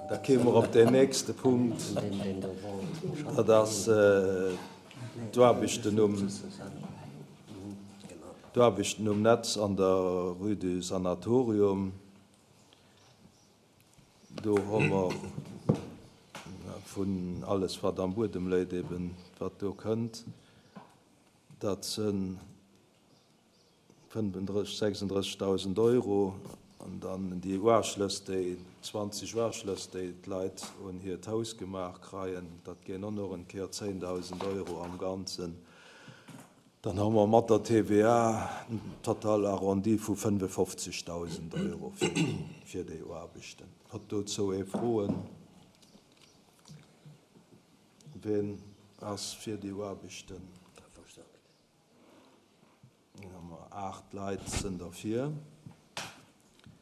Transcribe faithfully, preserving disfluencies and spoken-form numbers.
Da kéime mer op deen nächste Punkt, dat ass d'Aarbechten um, d'Aarbechten um Netz an der Rue du Sanatorium. Do hu mer vun alles, wat am Buedem léit, eben wat do kënnt, dat si fënnfendrësseg, sechsunddrëssigtausend Euro. An dann déi Uaschlëss, déi zwanzeg Uaschlëss, déi d'Leit un hiert Haus gemaach kreien, dat ginn och nach eng Kéier zéngdausend Euro am Ganzen. Dann hu mer mat der T V A en total arrondi vu fënnefofzegdausend Euro fir, fir déi Aarbechten. Huet dozou ee Froen? Wien ass fir déi Aarbechten? Aacht Leit sinn derfir.